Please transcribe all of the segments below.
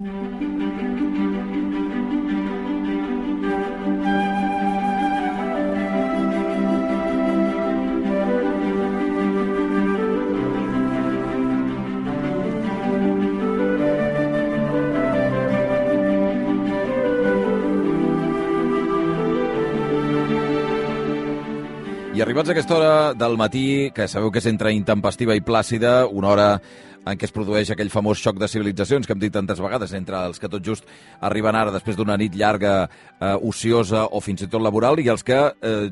I arribats a aquesta hora del matí, que sabeu que és entre intempestiva i plàcida, una hora en què es produeix aquell famós xoc de civilitzacions que hem dit tantes vegades, entre els que tot just arriben ara després d'una nit llarga, ociosa o fins i tot laboral, i els que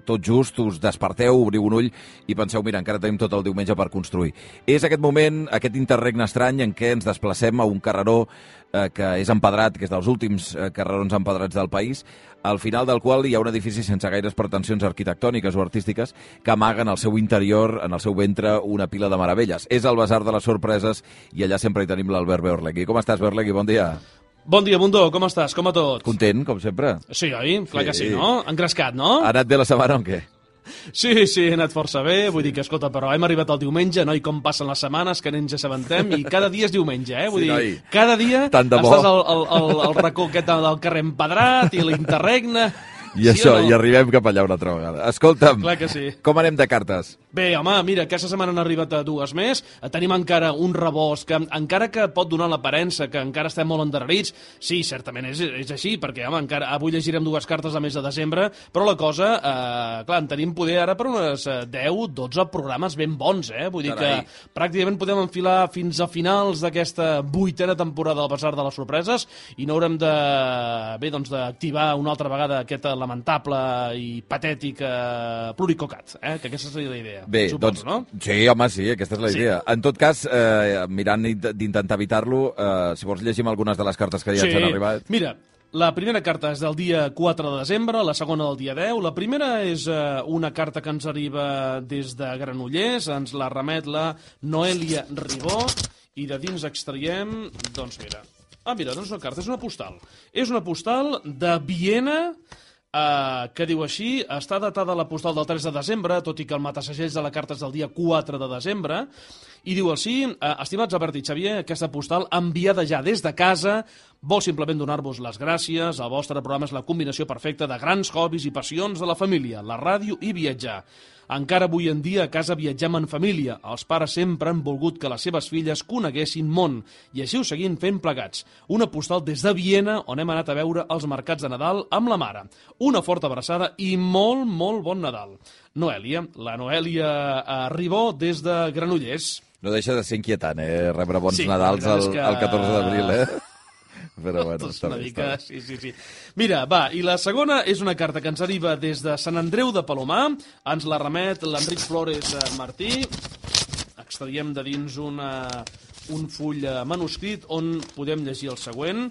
tot just us desperteu, obriu un ull i penseu, mira, encara tenim tot el diumenge per construir. És aquest moment, aquest interregne estrany en què ens desplacem a un carreró que és empedrat, que és dels últims carrerons empedrats del país, al final del qual hi ha un edifici sense gaires pretensions arquitectòniques o artístiques que amaguen al seu interior, en el seu ventre, una pila de meravelles. És el Basar de les Sorpreses i allà sempre hi tenim l'Albert Beorlegui. Com estàs, Beorlegui? Bon dia. Bon dia, Bundó. Com estàs? Com a tot? Content, com sempre. Sí, oi? Clar que sí, no? Engrescat, no? Ha anat bé la setmana o què? Sí, he anat força bé, vull dir que, escolta, però hem arribat al diumenge, no? I com passen les setmanes, que ens assabentem, i cada dia és diumenge, Vull dir, cada dia estàs al racó aquest del carrer empedrat i l'interregne. I sí, això, i arribem cap allà una altra vegada. Escolta'm, clar que sí. Com anem de cartes? Bé, home, mira, aquesta setmana han arribat a dues més. Tenim encara un rebost que, encara que pot donar l'aparença que encara estem molt endarrerits, sí, certament és així, perquè, home, encara avui llegirem dues cartes al mes de desembre, però la cosa, clar, en tenim poder ara per unes 10-12 programes ben bons, Vull dir que pràcticament podem enfilar fins a finals d'aquesta 8a temporada del Basar de les Sorpreses i no haurem d'activar una altra vegada aquest lamentable i patètic pluricocat, que aquesta seria la idea. Bé, suposo, no? Sí, home, sí, aquesta és la idea. En tot cas, mirant d'intentar evitar-lo, si vols llegim algunes de les cartes que ja ens han arribat. Mira, la primera carta és del dia 4 de desembre, la segona del dia 10. La primera és una carta que ens arriba des de Granollers, ens la remet la Noelia Ribó, i de dins extraiem, doncs mira, no és una carta, és una postal. És una postal de Viena, que diu així, està datada la postal del 3 de desembre, tot i que el matasegells de la carta és del dia 4 de desembre, i diu així: estimats Albert i Xavier, aquesta postal enviada ja des de casa vol simplement donar-vos les gràcies. El vostre programa és la combinació perfecta de grans hobbies i passions de la família, la ràdio i viatjar. Encara avui en dia a casa viatgem en família. Els pares sempre han volgut que les seves filles coneguessin món i així ho seguim fent plegats. Una postal des de Viena on hem anat a veure els mercats de Nadal amb la mare. Una forta abraçada i molt, molt bon Nadal. Noelia, la Noelia Ribó des de Granollers. No deixa de ser inquietant, rebre bons Nadals el 14 d'abril, Però bueno, està bé. Sí. Mira, va, i la segona és una carta que ens arriba des de Sant Andreu de Palomar. Ens la remet l'Enric Flores Martí. Extraiem de dins un full manuscrit on podem llegir el següent.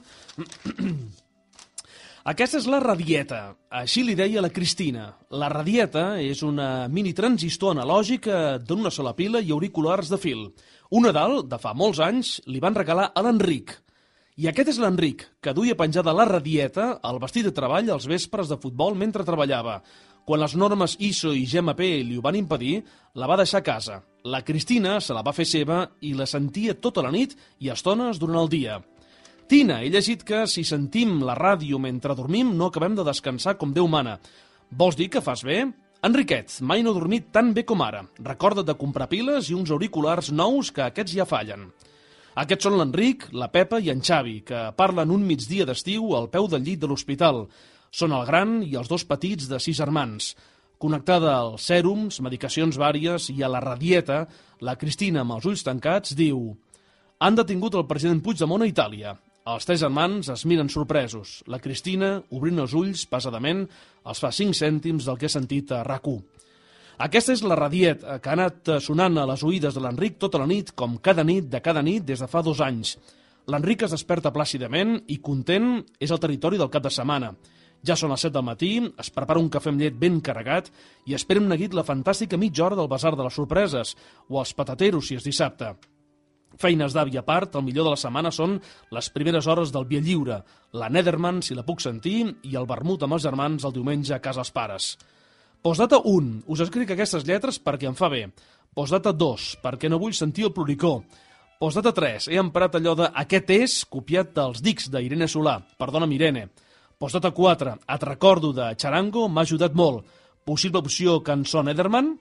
Aquesta és la radieta. Així li deia la Cristina. La radieta és una mini transistor analògic d'una sola pila i auriculars de fil. Un Nadal, de fa molts anys, li van regalar a l'Enric. I aquest és l'Enric, que duia penjada la radieta al vestit de treball als vespres de futbol mentre treballava. Quan les normes ISO i GMP li ho van impedir, la va deixar a casa. La Cristina se la va fer seva i la sentia tota la nit i estones durant el dia. Tina, he llegit que si sentim la ràdio mentre dormim no acabem de descansar com Déu mana. Vols dir que fas bé? Enriquet, mai no he dormit tan bé com ara. Recorda't de comprar piles i uns auriculars nous que aquests ja fallen. Aquests són l'Enric, la Pepa i en Xavi, que parlen un migdia d'estiu al peu del llit de l'hospital. Són el gran i els dos petits de 6 germans. Connectada als sèrums, medicacions vàries i a la radieta, la Cristina, amb els ulls tancats, diu: han detingut el president Puigdemont a Itàlia. Els 3 germans es miren sorpresos. La Cristina, obrint els ulls pesadament, els fa 5 cèntims del que ha sentit a RAC1. Aquesta és la radieta que ha anat sonant a les oïdes de l'Enric tota la nit, com cada nit des de fa 2 anys. L'Enric es desperta plàcidament i content és el territori del cap de setmana. Ja són les 7 del matí, es prepara un cafè amb llet ben carregat i espera amb neguit la fantàstica mitja hora del Basar de les Sorpreses, o els patateros si és dissabte. Feines d'avi a part, el millor de la setmana són les primeres hores del Via Lliure, la Nederman, si la puc sentir, i el vermut amb els germans el diumenge a casa els pares. Postdata 1. Us escric aquestes lletres perquè em fa bé. Postdata 2. Perquè no vull sentir el ploricó. Postdata 3. He emprat allò de aquest és copiat dels dics d'Irene Solà. Perdona'm, Irene. Postdata 4. Et recordo de Charango, m'ha ajudat molt. Possible opció cançó Nederman.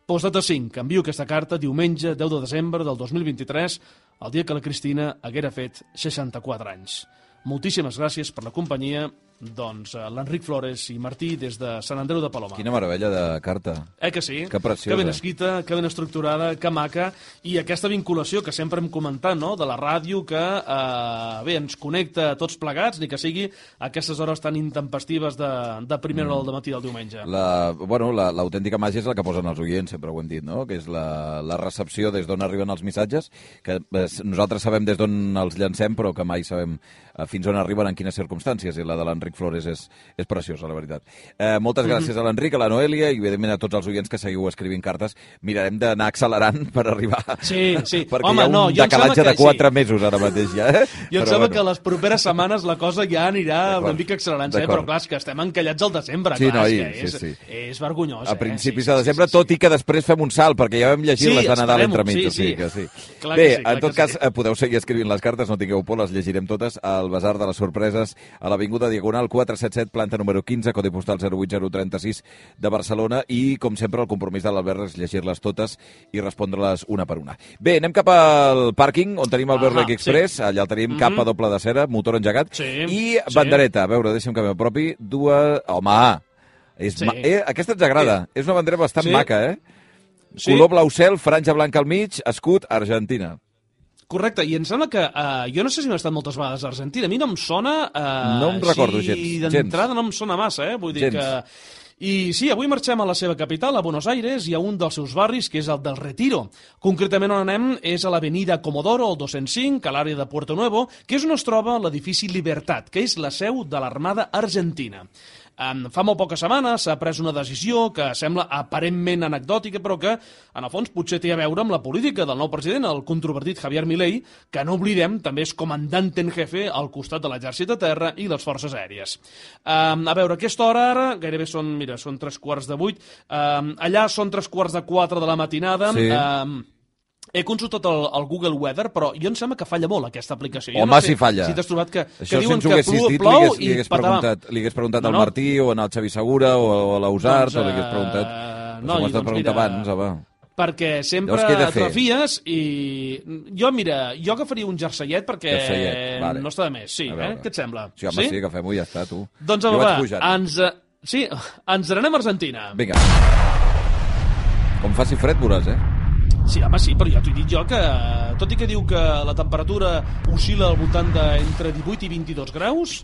Postdata 5. Envio aquesta carta diumenge 10 de desembre del 2023, el dia que la Cristina haguera fet 64 anys. Moltíssimes gràcies per la companyia. Doncs l'Enric Flores i Martí des de Sant Andreu de Palomar. Quina meravella de carta. Que sí? Que preciosa. Que ben escrita, que ben estructurada, que maca, i aquesta vinculació que sempre hem comentat, no?, de la ràdio que, bé, ens connecta a tots plegats, ni que sigui a aquestes hores tan intempestives de primera hora del matí del diumenge. L'autèntica màgia és la que posen els oients, sempre ho hem dit, no?, que és la recepció des d'on arriben els missatges, que nosaltres sabem des d'on els llancem, però que mai sabem fins on arriben, en quines circumstàncies, i la de l'Enric Flores és preciosa, la veritat. Moltes gràcies a l'Enric, a la Noelia i, evidentment, a tots els oients que seguiu escrivint cartes. Mirarem d'anar accelerant per arribar... Sí. Perquè hi ha un decalatge de 4 mesos ara mateix, ja. Jo em sembla que les properes setmanes la cosa ja anirà una mica accelerant, però clar, és que estem encallats al desembre. Sí, clar, és vergonyós. A principis de desembre, tot i que després fem un salt, perquè ja vam llegir les de Nadal entremig. Bé, en tot cas, podeu seguir escrivint les cartes, no tingueu por, les llegirem totes al Basar de les Sorpreses, a l'Avinguda Diagonal 477, planta número 15, codi postal 08036 de Barcelona, i, com sempre, el compromís de l'Albert és llegir-les totes i respondre-les una per una. Bé, anem cap al pàrquing, on tenim el Bear Lake Express, allà el tenim capa doble de cera, motor engegat, i bandereta. A veure, deixa'm que m'apropi. Home, aquesta ens agrada. És una bandera bastant maca, Color blau cel, franja blanca al mig, escut, Argentina. Correcte, i em sembla que jo no sé si m'he estat moltes vegades a Argentina, a mi no em sona... No em recordo gens. D'entrada no em sona massa, vull dir que... I sí, avui marxem a la seva capital, a Buenos Aires, i a un dels seus barris, que és el del Retiro. Concretament on anem és a l'avenida Comodoro, el 205, a l'àrea de Puerto Nuevo, que és on es troba l'edifici Libertat, que és la seu de l'Armada Argentina. Fa molt poques setmanes s'ha pres una decisió que sembla aparentment anecdòtica, però que, en el fons, potser té a veure amb la política del nou president, el controvertit Javier Milei, que, no oblidem, també és comandante en jefe al costat de l'exèrcit de terra i les forces aèries. A veure, aquesta hora ara, gairebé són 3:15, allà són 3:15 de la matinada. Sí. He consultat el Google Weather, però jo em sembla que falla molt aquesta aplicació. Home, no sé si falla. Si t'has trobat que això, diuen si que plou i patavam. Li hagués preguntat al Martí o al Xavi Segura o a l'Ausart, o li hagués preguntat... No, m'ho has de preguntar abans, home. Perquè sempre atrofies i... Jo agafaria un jerseiet perquè no està de més. Sí, què et sembla? Sí, home, sí, agafem-ho i ja està, tu. Doncs, ens n'anem a Argentina. Vinga. Com faci fred, veuràs, Sí, home, sí, però ja t'ho he dit jo que, tot i que diu que la temperatura oscil·la al voltant d'entre 18 i 22 graus...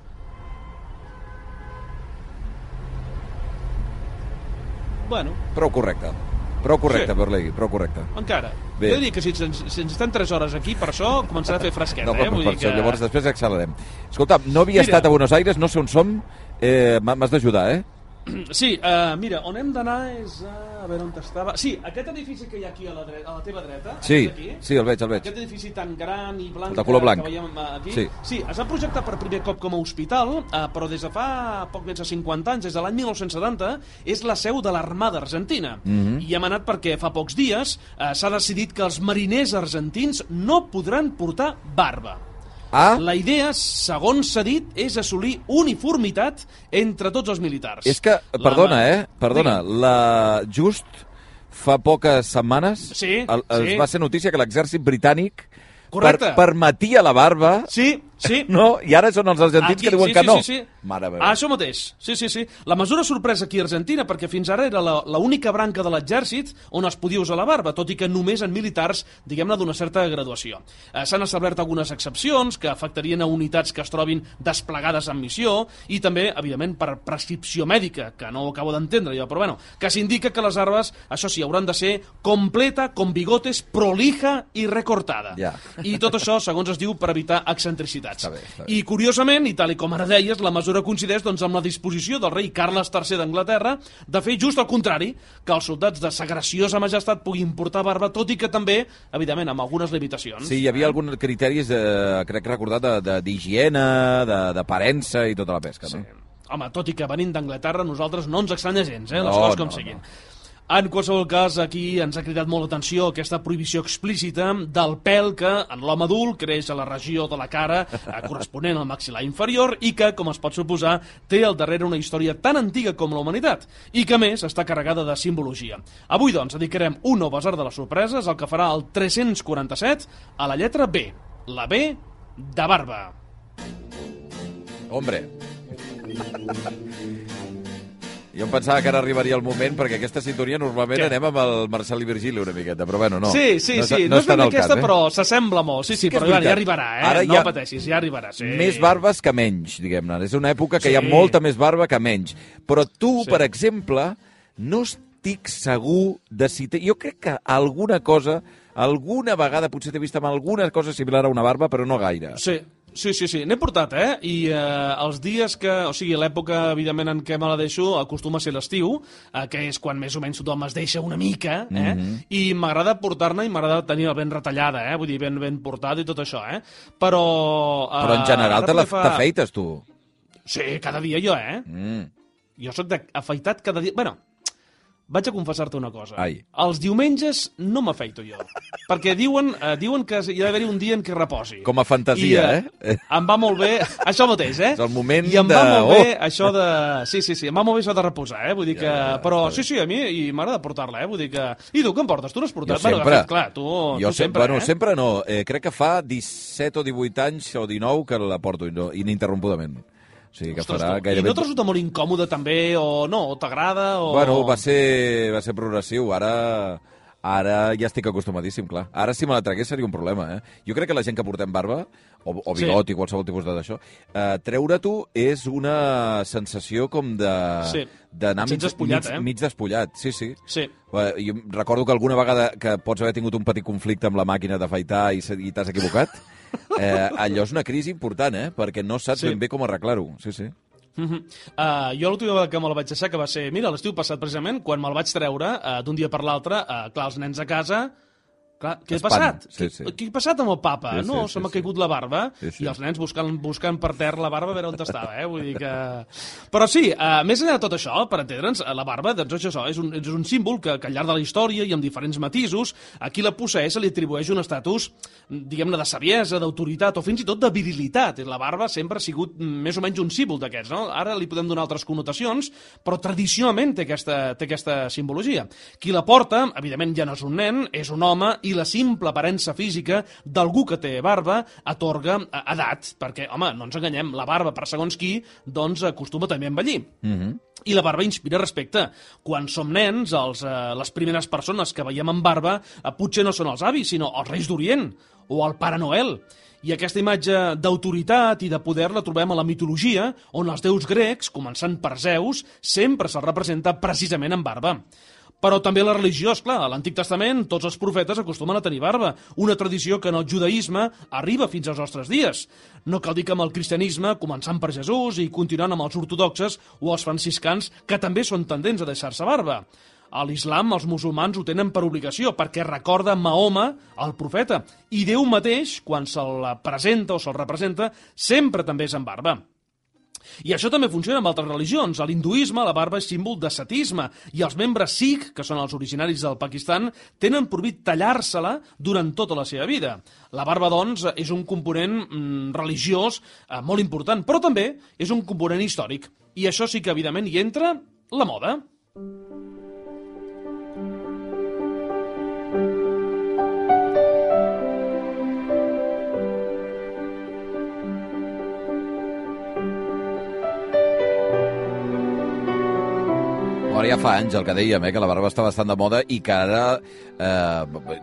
Bueno... Prou correcte, Berlegui, prou correcte. Encara. Jo diria que si ens estem 3 hores aquí, per això començarà a fer fresquet, Vull dir que... Llavors després accelerem. Escolta, no havia estat a Buenos Aires, no sé on som, m'has d'ajudar, Sí, mira, on hem d'anar és a veure on estava... Sí, aquest edifici que hi ha aquí a la teva dreta. Sí, el veig. Aquest edifici tan gran i blanc, de color blanc que veiem aquí. Sí, es va projectar per primer cop com a hospital, però des de fa poc més de 50 anys, des de l'any 1970, és la seu de l'Armada Argentina. I hem anat perquè fa pocs dies s'ha decidit que els mariners argentins no podran portar barba. La idea, segons s'ha dit, és assolir uniformitat entre tots els militars. És que, perdona, just fa poques setmanes va ser notícia que l'exèrcit britànic permetia la barba... Sí. No? I ara són els argentins que diuen que no. Sí. Això mateix. Sí. La mesura sorpresa aquí a Argentina, perquè fins ara era l'única branca de l'exèrcit on es podia usar la barba, tot i que només en militars, diguem-ne, d'una certa graduació. S'han establert algunes excepcions que afectarien a unitats que es trobin desplegades en missió i també, evidentment, per prescripció mèdica, que no ho acabo d'entendre jo, però bueno, que s'indica que les barbes, això sí, hauran de ser completa, con bigotes, prolija i recortada. I tot això, segons es diu, per evitar excentricitats. Està bé. I curiosament, i tal i com ara deies, la mesura coincideix amb la disposició del rei Carles III d'Anglaterra de fer just el contrari, que els soldats de sa graciosa majestat puguin portar barba, tot i que també, evidentment, amb algunes limitacions. Sí, hi havia alguns criteris, crec recordar, d'higiene, d'aparença i tota la pesca, no? Home, tot i que venint d'Anglaterra, nosaltres no ens estranya gens, les coses com siguin. En qualsevol cas, aquí ens ha cridat molt l'atenció aquesta prohibició explícita del pèl que en l'home adult creix a la regió de la cara corresponent al maxil·lar inferior i que, com es pot suposar, té al darrere una història tan antiga com la humanitat i que, a més, està carregada de simbologia. Avui, doncs, dedicarem un nou basar de les sorpreses, el que farà el 347 a la lletra B, la B de barba. Hombre. Jo em pensava que ara arribaria el moment, perquè aquesta sintonia normalment anem amb el Marcel i Virgili una miqueta, però bueno, no. Sí, no és ben aquesta, però s'assembla molt. Sí, però ja arribarà, Ara no pateixis, ja arribarà. Sí. Més barbes que menys, diguem-ne. És una època que hi ha molta més barba que menys. Però tu, per exemple, no estic segur de si... Jo crec que alguna vegada potser t'he vist amb alguna cosa similar a una barba, però no gaire. Sí, n'he portat, i els dies que... O sigui, l'època, evidentment, en què me la deixo acostuma a ser l'estiu, que és quan més o menys tothom es deixa una mica, i m'agrada portar-ne i m'agrada tenir-la ben retallada, vull dir, ben portada i tot això, Però en general t'afeites, tu? Sí, cada dia jo, Jo sóc d'afaitat cada dia... Bueno, vaig a confessar-te una cosa. Els diumenges no m'afeito jo. Perquè diuen que hi ha d'haver-hi un dia en què reposi. Com a fantasia, Em va molt bé... Això mateix, És el moment I em va molt bé això de... Sí, em va molt bé això de reposar, Vull dir que... Però sí, a mi m'agrada portar-la, Vull dir que... I tu, què em portes? Tu l'has portat? Jo sempre. De fet, clar, tu sempre, Bueno, sempre no. Crec que fa 17 o 18 anys o 19 que la porto ininterrompudament. O sigui, que farà gairebé... I no te resulta molt incòmode també, o no? O t'agrada, o... Bueno, va ser progressiu. Ara ja estic acostumadíssim, clar. Ara si me la tragués seria un problema, Jo crec que la gent que portem barba, o bigot i qualsevol tipus d'això, treure-t'ho és una sensació com d'anar mig despullat. Sí. Jo recordo que alguna vegada que pots haver tingut un petit conflicte amb la màquina d'afaitar i t'has equivocat, allò és una crisi important, perquè no saps ben bé com arreglar-ho. Sí. Jo l'última vegada que me'l vaig deixar, que va ser, mira, l'estiu passat precisament, quan me'l vaig treure d'un dia per l'altre, clar, els nens a casa... Clar, què ha passat? Què ha passat amb el papa? Se m'ha caigut la barba i els nens buscant per terra la barba a veure on estava, Vull dir que... Però sí, més enllà de tot això, per entendre'ns, la barba, doncs això, és un símbol que al llarg de la història i amb diferents matisos, a qui la posseeix se li atribueix un estatus, diguem-ne, de saviesa, d'autoritat o fins i tot de virilitat. La barba sempre ha sigut més o menys un símbol d'aquests, no? Ara li podem donar altres connotacions, però tradicionalment té aquesta simbologia. Qui la porta, evidentment ja no és un nen, és un home, i la simple aparença física d'algú que té barba atorga edat, perquè, home, no ens enganyem, la barba, per segons qui, doncs acostuma també a envellir. I la barba inspira respecte. Quan som nens, les primeres persones que veiem amb barba potser no són els avis, sinó els Reis d'Orient o el Pare Noel. I aquesta imatge d'autoritat i de poder la trobem a la mitologia, on els déus grecs, començant per Zeus, sempre se'ls representa precisament amb barba. Però també la religió, esclar, a l'Antic Testament tots els profetes acostumen a tenir barba, una tradició que en el judaïsme arriba fins als nostres dies. No cal dir que amb el cristianisme, començant per Jesús i continuant amb els ortodoxes o els franciscans, que també són tendents a deixar-se barba. A l'islam els musulmans ho tenen per obligació, perquè recorda Mahoma, el profeta, i Déu mateix, quan se'l presenta o se'l representa, sempre també és amb barba. I això també funciona amb altres religions. A l'hinduisme la barba és símbol d'ascetisme i els membres Sikh, que són els originaris del Pakistan, tenen prohibit tallar-se-la durant tota la seva vida. La barba, doncs, és un component religiós molt important, però també és un component històric. I això sí que, evidentment, hi entra la moda. Ara ja fa anys el que dèiem, que la barba està bastant de moda i que ara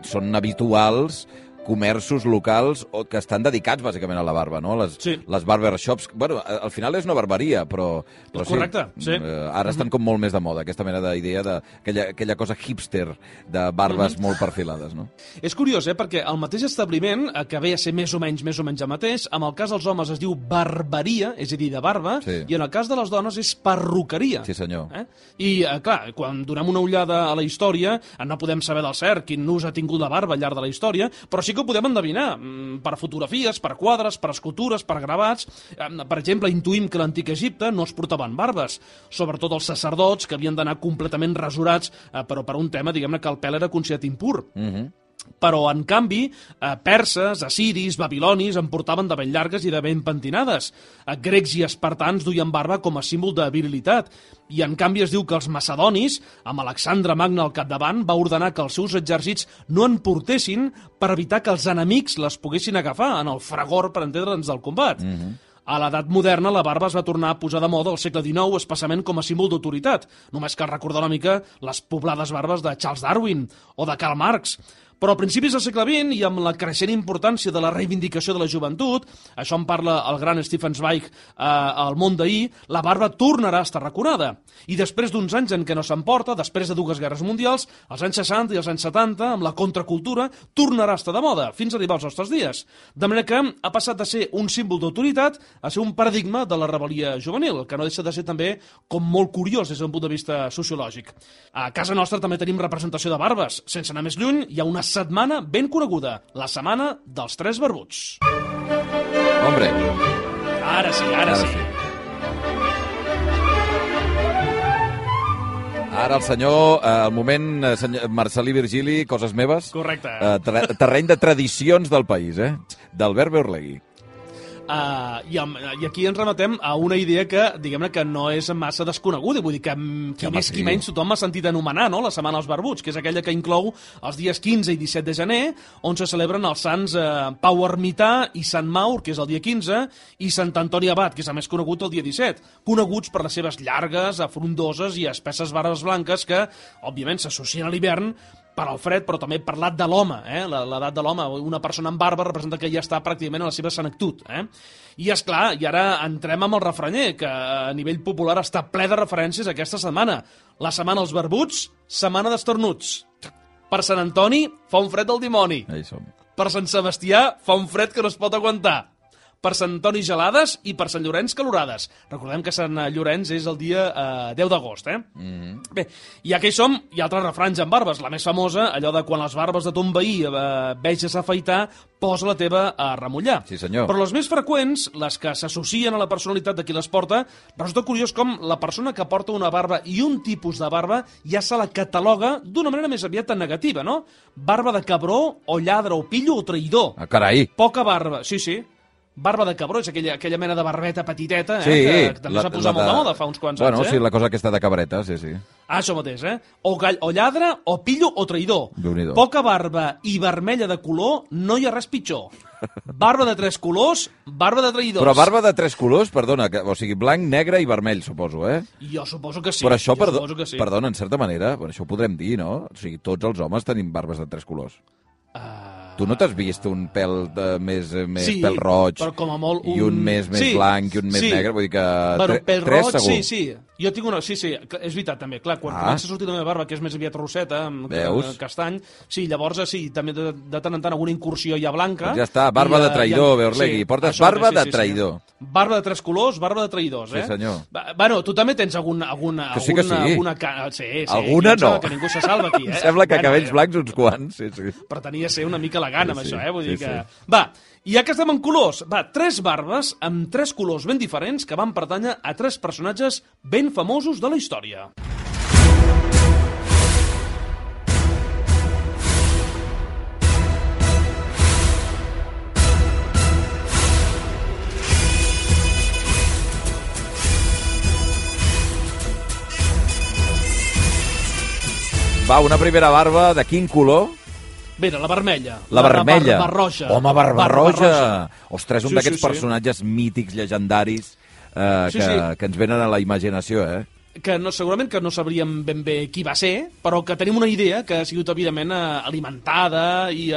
són habituals comerços locals que estan dedicats bàsicament a la barba, no? Les barbershops, bueno, al final és una barberia, però correcte, sí. Ara estan com molt més de moda, aquesta mena d'idea d'aquella cosa hipster de barbes molt perfilades, no? És curiós, perquè el mateix establiment, que ve a ser més o menys el mateix, en el cas dels homes es diu barberia, és a dir, de barba, i en el cas de les dones és perruqueria. Sí, senyor. I, clar, quan donem una ullada a la història, no podem saber del cert quin ús ha tingut la barba al llarg de la història, però sí sí que ho podem endevinar, per fotografies, per quadres, per escultures, per gravats. Per exemple, intuïm que a l'antic Egipte no es portaven barbes, sobretot els sacerdots, que havien d'anar completament rasurats, però per un tema, diguem-ne, que el pèl era considerat impur. Però, en canvi, perses, assiris, babilonis en portaven de ben llargues i de ben pentinades. Grecs i espartans duien barba com a símbol de virilitat. I, en canvi, es diu que els macedonis, amb Alexandre Magne al capdavant, va ordenar que els seus exèrcits no en portessin per evitar que els enemics les poguessin agafar en el fragor, per entendre'ns, del combat. A l'edat moderna, la barba es va tornar a posar de moda al segle XIX, especialment com a símbol d'autoritat. Només cal recordar una mica les poblades barbes de Charles Darwin o de Karl Marx. Però a principis del segle XX, i amb la creixent importància de la reivindicació de la joventut, això en parla el gran Stefan Zweig al Món d'ahir, la barba tornarà a estar raconada. I després d'uns anys en què no s'emporta, després de 2 guerres mundials, als anys 60 i als anys 70, amb la contracultura, tornarà a estar de moda, fins a arribar als nostres dies. De manera que ha passat de ser un símbol d'autoritat a ser un paradigma de la rebel·lia juvenil, que no deixa de ser també com molt curiós des d'un punt de vista sociològic. A casa nostra també tenim representació de barbes. Sense anar més lluny, hi ha una setmana ben coneguda, la setmana dels 3 barbuts. Hombre. Ara sí. Ara el senyor, al moment, Marcel·lí Virgili, coses meves. Correcte. Terreny de tradicions del país, d'Albert Beorlegui. I aquí ens rematem a una idea que, diguem-ne, que no és massa desconeguda, vull dir que qui menys tothom ha sentit anomenar, no?, la Setmana dels Barbuts, que és aquella que inclou els dies 15 i 17 de gener, on se celebren els sants Pau Ermità i Sant Maur, que és el dia 15, i Sant Antoni Abat, que és el més conegut el dia 17, coneguts per les seves llargues, frondoses i espesses barbes blanques que, òbviament, s'associen a l'hivern per al fred, però també per l'edat de l'home, l'edat de l'home. Una persona amb barba representa que ja està pràcticament a la seva senectut. I, esclar, i ara entrem amb el refranyer, que a nivell popular està ple de referències aquesta setmana. La setmana dels barbuts, setmana d'estornuts. Per Sant Antoni fa un fred del dimoni. Per Sant Sebastià fa un fred que no es pot aguantar. Per Sant Antoni gelades i per Sant Llorenç calorades. Recordem que Sant Llorenç és el dia 10 d'agost, Bé, ja que hi som, hi ha altres refranys amb barbes. La més famosa, allò de quan les barbes de ton veí veges afaitar, posa la teva a remullar. Sí, senyor. Però les més freqüents, les que s'associen a la personalitat de qui les porta, resulta curiós com la persona que porta una barba i un tipus de barba ja se la cataloga d'una manera més aviat negativa, no? Barba de cabró, o lladre, o pillo, o traïdor. Ah, carai! Poca barba, sí. Barba de cabró, és aquella mena de barbeta petiteta, sí, que també s'ha posat molt de moda fa uns quants anys. Bueno, sí, la cosa aquesta de cabreta, sí. Això mateix, O lladre, o pillo, o traïdor. Poca barba i vermella de color, no hi ha res pitjor. Barba de 3 colors, barba de traïdors. Però barba de 3 colors, perdona, o sigui, blanc, negre i vermell, suposo, Jo suposo que sí. Però això, perdona, en certa manera, això ho podrem dir, no? O sigui, tots els homes tenim barbes de 3 colors. Tu no t'has vist un pèl més pèl roig, però com a molt i un més blanc i un més negre? Vull dir que pèl 3 roig, segur. Sí. Jo tinc una... Sí, és veritat, també. Clar, quan comença a sortir la meva barba, que és més aviat rosseta, amb castany, sí, llavors sí, també de tant en tant alguna incursió ja blanca. Doncs ja està, barba de traïdor, Beorlegui. Portes barba de traïdor. Barba de 3 colors, barba de traïdors, Sí, senyor. Bueno, tu també tens alguna... Que sí que sí. Sí. Alguna no. Que ningú se salva aquí, Em sembla que cabells blancs uns quants, sí. Però tenia de ser una mica elegant amb això, vull dir que... Sí. Va, i ja que estem en colors, 3 barbes amb 3 colors ben diferents que van pertànyer a 3 personatges ben famosos de la història. Va, una primera barba de quin color? Bé, la vermella. La vermella. Barba roja. Home, barba roja. Ostres, un d'aquests personatges mítics, llegendaris, que ens venen a la imaginació, que segurament que no sabríem ben bé qui va ser, però que tenim una idea que ha sigut, evidentment, alimentada i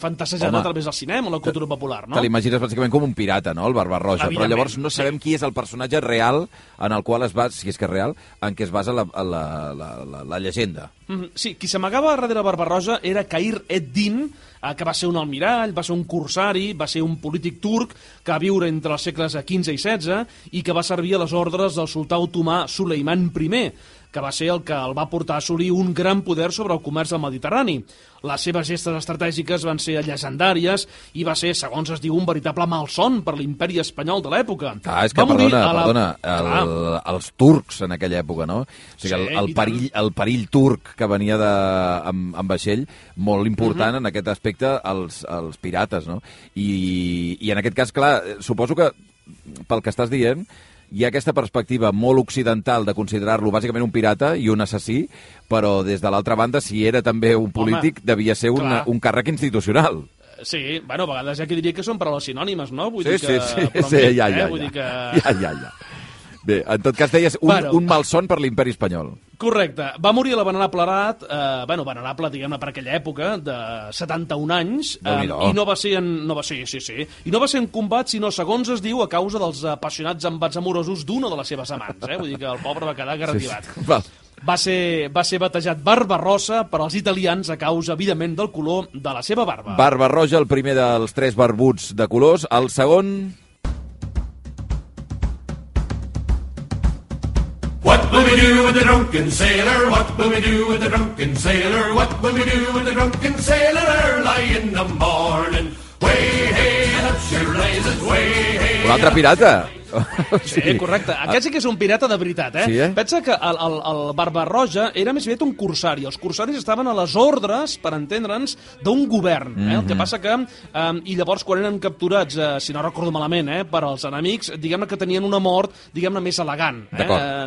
fantasejada a través del cinema o la cultura popular, no? Te l'imagines bàsicament com un pirata, no?, el Barba-roja, però llavors no sabem qui és el personatge real en el qual es basa, si és que és real, en què es basa la llegenda. Sí, qui s'amagava darrere Barba-roja era Khayr ed-Din, que va ser un almirall, va ser un corsari, va ser un polític turc que va viure entre els segles XV i XVI i que va servir a les ordres del sultà otomà Suleiman I. que va ser el que el va portar a assolir un gran poder sobre el comerç del Mediterrani. Les seves gestes estratègiques van ser llegendàries i va ser, segons es diu, un veritable malson per l'imperi espanyol de l'època. És que, perdona, els turcs en aquella època, no? O sigui, el perill turc que venia amb vaixell, molt important en aquest aspecte, els pirates, no? I en aquest cas, clar, suposo que, pel que estàs dient, hi ha aquesta perspectiva molt occidental de considerar-lo bàsicament un pirata i un assassí, però des de l'altra banda, si era també un polític, devia ser un càrrec institucional. Sí, bueno, a vegades hi ha qui diria que són paraules sinònimes, no? Vull dir que... Ja. Bé, en tot cas deies un malson per l'imperi espanyol. Correcte. Va morir a la Venerable edat, venerable, diguem-ne, per aquella època, de 71 anys, i no va ser en combat, sinó, segons es diu, a causa dels apassionats embats amorosos d'una de les seves amants. Vull dir que el pobre va quedar garrativat. Va ser batejat Barbarossa per als italians a causa, evidentment, del color de la seva barba. Barbarroja, el primer dels 3 barbuts de colors. El segon... What will we do with the drunken sailor? What will we do with the drunken sailor? What will we do with the drunken sailor early in the morning? Way, hey, that's your blazes, way, hey. Un altre pirata. Sí, correcte. Aquest sí que és un pirata de veritat, Sí, Pensa que el Barbarroja era més aviat un corsari. Els corsaris estaven a les ordres, per entendre'ns, d'un govern. El que passa que... I llavors, quan eren capturats, si no recordo malament, per als enemics, diguem-ne que tenien una mort, diguem-ne, més elegant.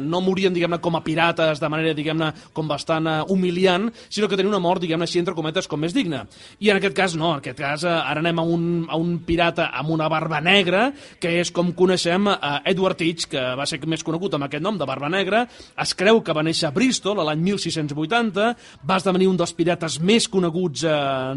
No morien, diguem-ne, com a pirates, de manera, diguem-ne, com bastant humiliant, sinó que tenien una mort, diguem-ne, així, entre cometes, com més digna. I en aquest cas, no. En aquest cas, ara anem a un pirata amb una barba negra, que és com coneixem Edward Teach, que va ser més conegut amb aquest nom de Barba Negra. Es creu que va néixer a Bristol l'any 1680, va esdevenir un dels pirates més coneguts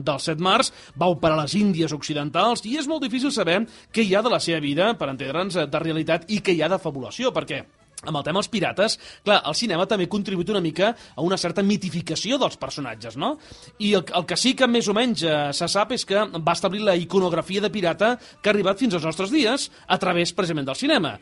dels 7 mars, va operar a les Índies Occidentals, i és molt difícil saber què hi ha de la seva vida, per entendre'ns, de realitat, i què hi ha de fabulació, perquè amb el tema dels pirates, clar, el cinema també contribuït una mica a una certa mitificació dels personatges, no? I el que sí que més o menys se sap és que va establir la iconografia de pirata que ha arribat fins als nostres dies a través, precisament, del cinema.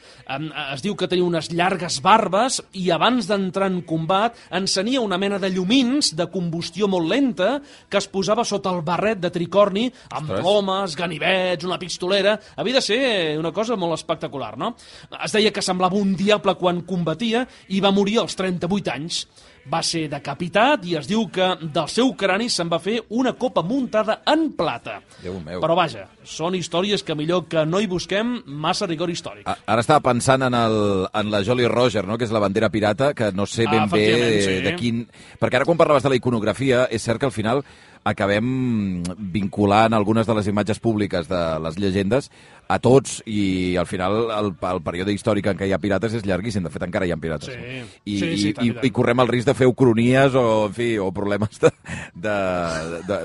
Es diu que tenia unes llargues barbes i abans d'entrar en combat encenia una mena de llumins de combustió molt lenta que es posava sota el barret de tricorni amb plomes, ganivets, una pistolera. Havia de ser una cosa molt espectacular, no? Es deia que semblava un diable quan combatia i va morir als 38 anys. Va ser decapitat i es diu que del seu crani se'n va fer una copa muntada en plata. Déu meu. Però vaja, són històries que millor que no hi busquem massa rigor històric. Ara estava pensant en la Jolly Roger, no? Que és la bandera pirata, que no sé ben bé de quin... Perquè ara quan parlaves de la iconografia, és cert que al final acabem vinculant algunes de les imatges públiques de les llegendes a tots, i al final el període històric en què hi ha pirates és llarguíssim. De fet, encara hi ha pirates. I correm el risc de fer ucronies o problemes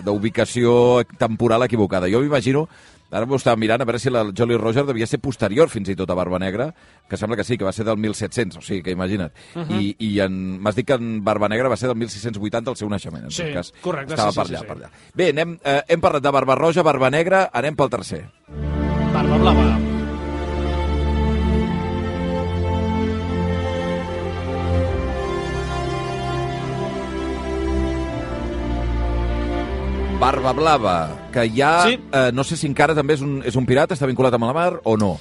d'ubicació temporal equivocada. Jo m'imagino, ara m'ho estava mirant, a veure si la Jolly Roger devia ser posterior fins i tot a Barba Negra, que sembla que sí, que va ser del 1700, o sigui, que imagina't. I m'has dit que en Barba Negra va ser del 1680 el seu naixement, en tot cas. Correcte, estava per allà. Bé, hem parlat de Barba Roja, Barba Negra, anem pel tercer. Barba Blava. Barba Blava, que ja... Sí. No sé si encara també és un pirata, està vinculat amb la mar o no?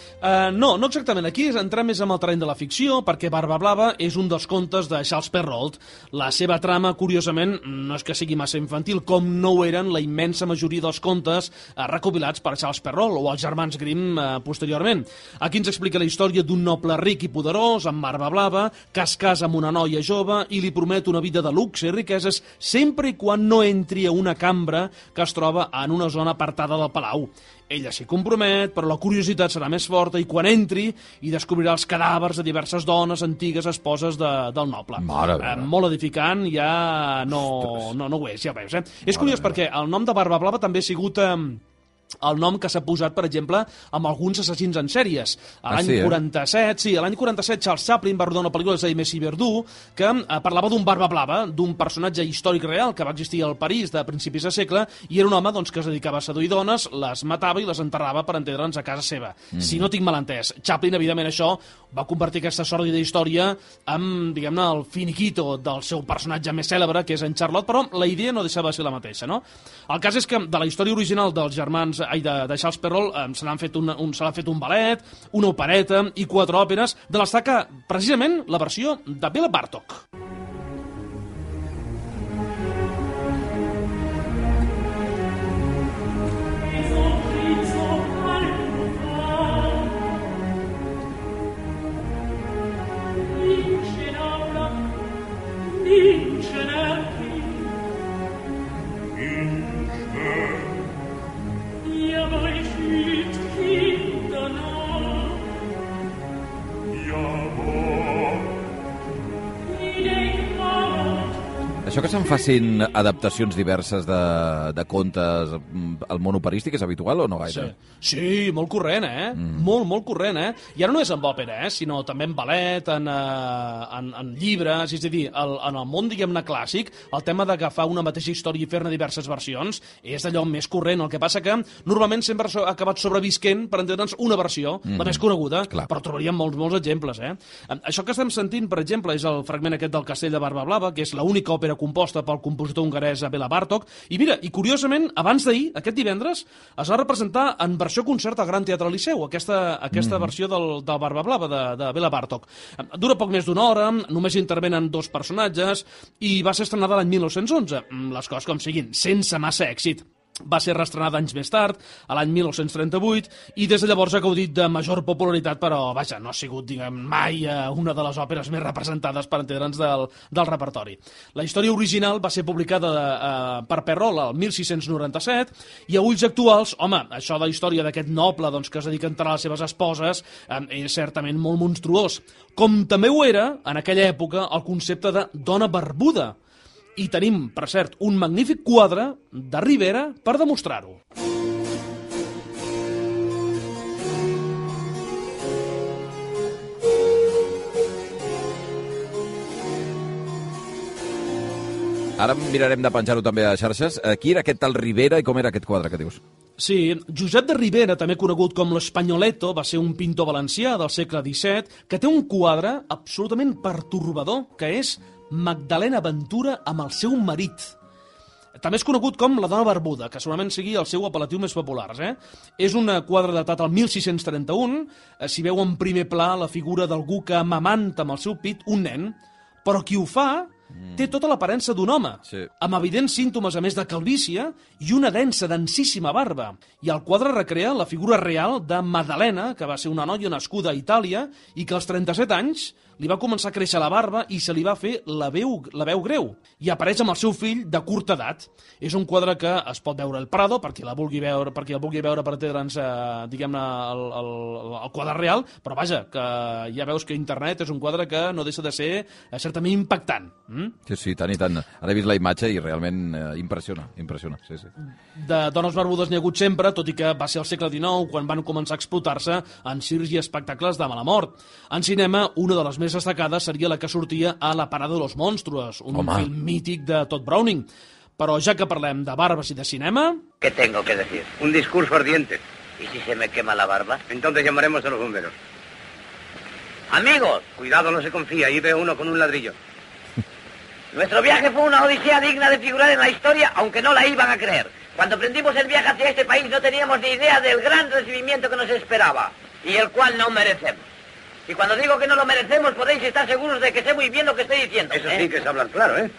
No exactament. Aquí entrar més en el terreny de la ficció, perquè Barba Blava és un dels contes de Charles Perrault. La seva trama, curiosament, no és que sigui massa infantil, com no ho eren la immensa majoria dels contes recopilats per Charles Perrault o els germans Grimm posteriorment. Aquí ens explica la història d'un noble ric i poderós, amb barba blava, que es casa amb una noia jove i li promet una vida de luxe i riqueses sempre i quan no entri a una cambra que es troba en una zona apartada del palau. Ella s'hi compromet, però la curiositat serà més forta i quan entri hi descobrirà els cadàvers de diverses dones antigues esposes del noble. Molt edificant, ja no ho és, ja ho veus. És curiós perquè el nom de Barba Blava també ha sigut el nom que s'ha posat, per exemple, amb alguns assassins en sèries. L'any 47, l'any 47 Charles Chaplin va rodar una pel·lícula, és a dir, Messi Verdú, que parlava d'un barba blava, d'un personatge històric real que va existir al París de principis de segle, i era un home doncs, que es dedicava a seduir dones, les matava i les enterrava per entendre'ns a casa seva. Si no tinc mal entès. Chaplin, evidentment, això va convertir aquesta sòrdida història amb, diguem-ne, el finiquito del seu personatge més cèlebre, que és en Charlotte, però la idea no deixava de ser la mateixa, no? El cas és que de la història original dels germans de Charles Perrault se l'ha fet un ballet, una opereta i 4 òperes, de les destaca precisament la versió de Béla Bartók. Això que se'n facin adaptacions diverses de contes al món operístic és habitual o no gaire? Sí, molt corrent, Molt corrent, I ara no és amb òpera, sinó també en ballet, en llibres, és a dir, en el món, diguem-ne, clàssic, el tema d'agafar una mateixa història i fer-ne diverses versions és d'allò més corrent. El que passa que normalment sempre ha acabat sobrevisquent, per entendre'ns, una versió, la més coneguda, però trobaríem molts exemples, Això que estem sentint, per exemple, és el fragment aquest del Castell de Barba Blava, que és l'única òpera composta pel compositor hongarès Béla Bartók. I mira, i curiosament, abans d'ahir, aquest divendres, es va representar en versió concert al Gran Teatre Liceu, aquesta versió del Barba Blava de Béla Bartók. Dura poc més d'una hora, només intervenen 2 personatges i va ser estrenada l'any 1911. Les coses com siguin, sense massa èxit. Va ser reestrenada anys més tard, a l'any 1938, i des de llavors ha gaudit de major popularitat, però, vaja, no ha sigut, diguem, mai una de les òperes més representades, per entendre'ns, del repertori. La història original va ser publicada per Perrault el 1697, i a ulls actuals, home, això de la història d'aquest noble doncs, que es dedica a enterrar les seves esposes és certament molt monstruós. Com també ho era, en aquella època, el concepte de dona barbuda. I tenim, per cert, un magnífic quadre de Rivera per demostrar-ho. Ara mirarem de penjar-ho també a xarxes. Qui era aquest tal Rivera i com era aquest quadre que dius? Sí, Josep de Ribera, també conegut com l'Espagnoleto, va ser un pintor valencià del segle XVII que té un quadre absolutament pertorbador, que és Magdalena Ventura amb el seu marit. També és conegut com la dona barbuda, que segurament sigui el seu apel·latiu més popular. És un quadre datat al 1631, s'hi veu en primer pla la figura d'algú que amamanta amb el seu pit un nen, però qui ho fa té tota l'aparença d'un home, amb evidents símptomes a més de calvície i una densíssima barba. I el quadre recrea la figura real de Madalena, que va ser una noia nascuda a Itàlia i que als 37 anys li va començar a créixer la barba i se li va fer la veu greu. I apareix amb el seu fill de curta edat. És un quadre que es pot veure al Prado, per qui el vulgui veure per entendre'ns, diguem-ne, el quadre real, però vaja, que ja veus que internet és un quadre que no deixa de ser certament impactant. Sí, tant i tant. Ara he vist la imatge i realment impressiona. Sí. De dones barbudes n'hi ha hagut sempre, tot i que va ser al segle XIX quan van començar a explotar-se en circs i espectacles de mala mort. En cinema, una de les més destacades seria la que sortia a La parada de los monstruos, un film mític de Todd Browning. Però ja que parlem de barbes i de cinema... ¿Qué tengo que decir? Un discurso ardiente. ¿Y si se me quema la barba? Entonces llamaremos a los bomberos. Amigos, cuidado, no se confía, ahí veo uno con un ladrillo. Nuestro viaje fue una odisea digna de figurar en la historia, aunque no la iban a creer. Cuando emprendimos el viaje hacia este país no teníamos ni idea del gran recibimiento que nos esperaba, y el cual no merecemos. Y cuando digo que no lo merecemos, podéis estar seguros de que sé muy bien lo que estoy diciendo. Eso sí que es hablar claro, ¿eh?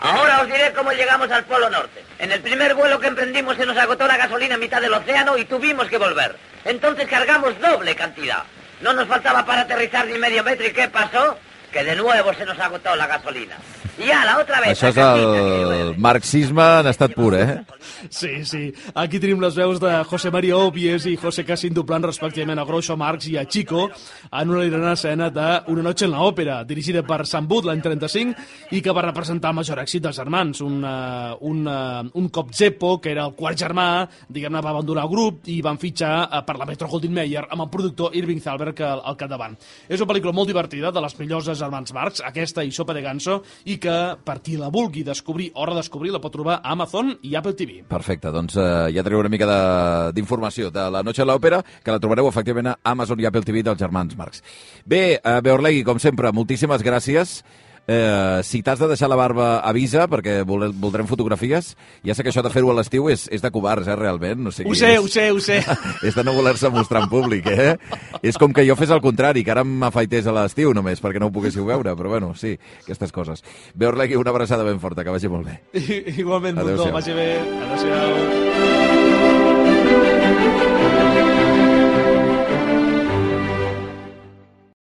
Ahora os diré cómo llegamos al Polo Norte. En el primer vuelo que emprendimos se nos agotó la gasolina a mitad del océano y tuvimos que volver. Entonces cargamos doble cantidad. No nos faltaba para aterrizar ni medio metro, ¿y qué pasó? Que de nuevo se nos agotó la gasolina. Y ya, la otra vez. Això és el marxisme en estat pur, Sí, sí. Aquí tenim les veus de José María Obies i José Cassin doblant respectivament a Groucho Marx i a Chico en una hilarant escena de Una noche en la òpera, dirigida per Sam Booth l'any 35 i que va representar el major èxit dels germans. Un cop Zeppo, que era el quart germà, diguem-ne, va abandonar el grup i van fitxar per la Metro-Goldwyn-Mayer amb el productor Irving Thalberg al capdavant. És una pel·lícula molt divertida, de les millors dels germans Marx, aquesta i Sopa de Ganso, i que per qui la vulgui descobrir o redescobrir la pot trobar a Amazon i Apple TV. Perfecte, doncs ja teniu una mica d'informació de La noche a l'òpera, que la trobareu efectivament a Amazon i Apple TV dels germans Marx. Bé, Beorlegui, com sempre, moltíssimes gràcies. Si t'has de deixar la barba, avisa, perquè voldrem fotografies. Ja sé que això de fer-ho a l'estiu és de covards, realment. O sigui, ho sé. És de no voler-se mostrar en públic, És com que jo fes el contrari, que ara m'afaités a l'estiu només, perquè no ho poguéssiu veure, però bueno, sí, aquestes coses. Beorlegui, una abraçada ben forta, que vagi molt bé. Igualment, Mundo, vagi bé. Adéu-siau.